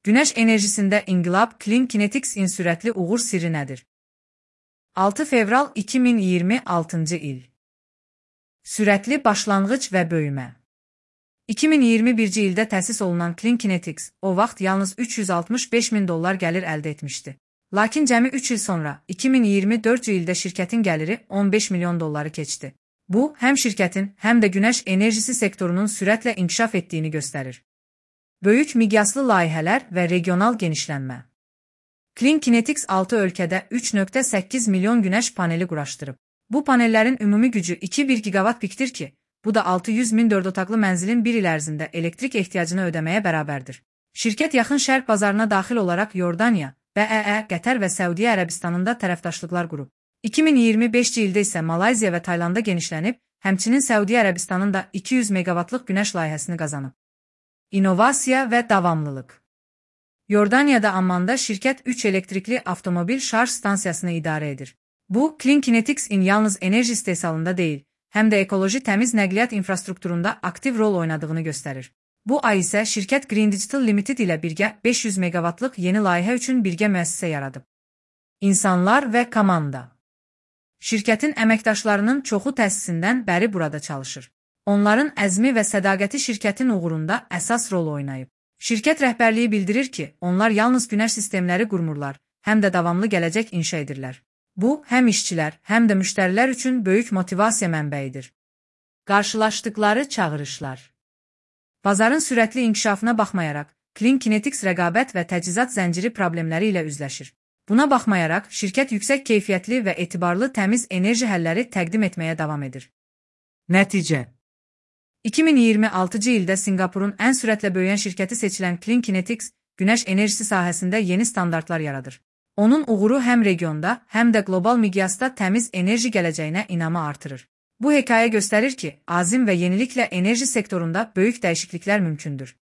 Günəş enerjisində inqilab Clean Kinetics'in sürətli uğur sirri nədir? 6 fevral 2026-cı il. Sürətli başlanğıc və böyümə. 2021-ci ildə təsis olunan Clean Kinetics o vaxt yalnız $365.000 gəlir əldə etmişdi. Lakin cəmi 3 il sonra 2024-cü ildə şirkətin gəliri $15 milyon keçdi. Bu, həm şirkətin, həm də günəş enerjisi sektorunun sürətlə inkişaf etdiyini göstərir. Böyük miqyaslı layihələr və regional genişlənmə. Clean Kinetics 6 ölkədə 3.8 milyon günəş paneli quraşdırıb. Bu panellərin ümumi gücü 2,1 gigawatt pikdir ki, bu da 600.000 4 otaqlı mənzilin bir il ərzində elektrik ehtiyacını ödəməyə bərabərdir. Şirkət yaxın şərq bazarına daxil olaraq Yordaniya, BEE, Qətər və Səudiyyə Ərəbistanında tərəfdaşlıqlar qurub. 2025-ci ildə isə Malayziya və Taylanda genişlənib, həmçinin Səudiyyə Ərəbistanın da 200 meqavatlıq günəş layihəsini qazanıb. İnnovasiya və davamlılıq. Yordaniyada Ammanda şirkət 3 elektrikli avtomobil şarj stansiyasını idarə edir. Bu, Clean Kinetics'in yalnız enerji istehsalında deyil, həm də ekoloji təmiz nəqliyyat infrastrukturunda aktiv rol oynadığını göstərir. Bu ay isə şirkət Green Digital Limited ilə birgə 500 meqavatlıq yeni layihə üçün birgə müəssisə yaradıb. İnsanlar və komanda. Şirkətin əməkdaşlarının çoxu təsisindən bəri burada çalışır. Onların əzmi və sədaqəti şirkətin uğurunda əsas rol oynayıb. Şirkət rəhbərliyi bildirir ki, onlar yalnız günəş sistemləri qurmurlar, həm də davamlı gələcək inşa edirlər. Bu, həm işçilər, həm də müştərilər üçün böyük motivasiya mənbəyidir. Qarşılaşdıqları çağırışlar. Bazarın sürətli inkişafına baxmayaraq, Clean Kinetics rəqabət və təchizat zənciri problemləri ilə üzləşir. Buna baxmayaraq, şirkət yüksək keyfiyyətli və etibarlı təmiz enerji həlləri təqdim etməyə davam edir. Nəticə. 2026-cı ildə Singapurun ən sürətlə böyüyən şirkəti seçilən Clean Kinetics, günəş enerjisi sahəsində yeni standartlar yaradır. Onun uğuru həm regionda, həm də qlobal miqyasda təmiz enerji gələcəyinə inamı artırır. Bu hekayə göstərir ki, azim və yeniliklə enerji sektorunda böyük dəyişikliklər mümkündür.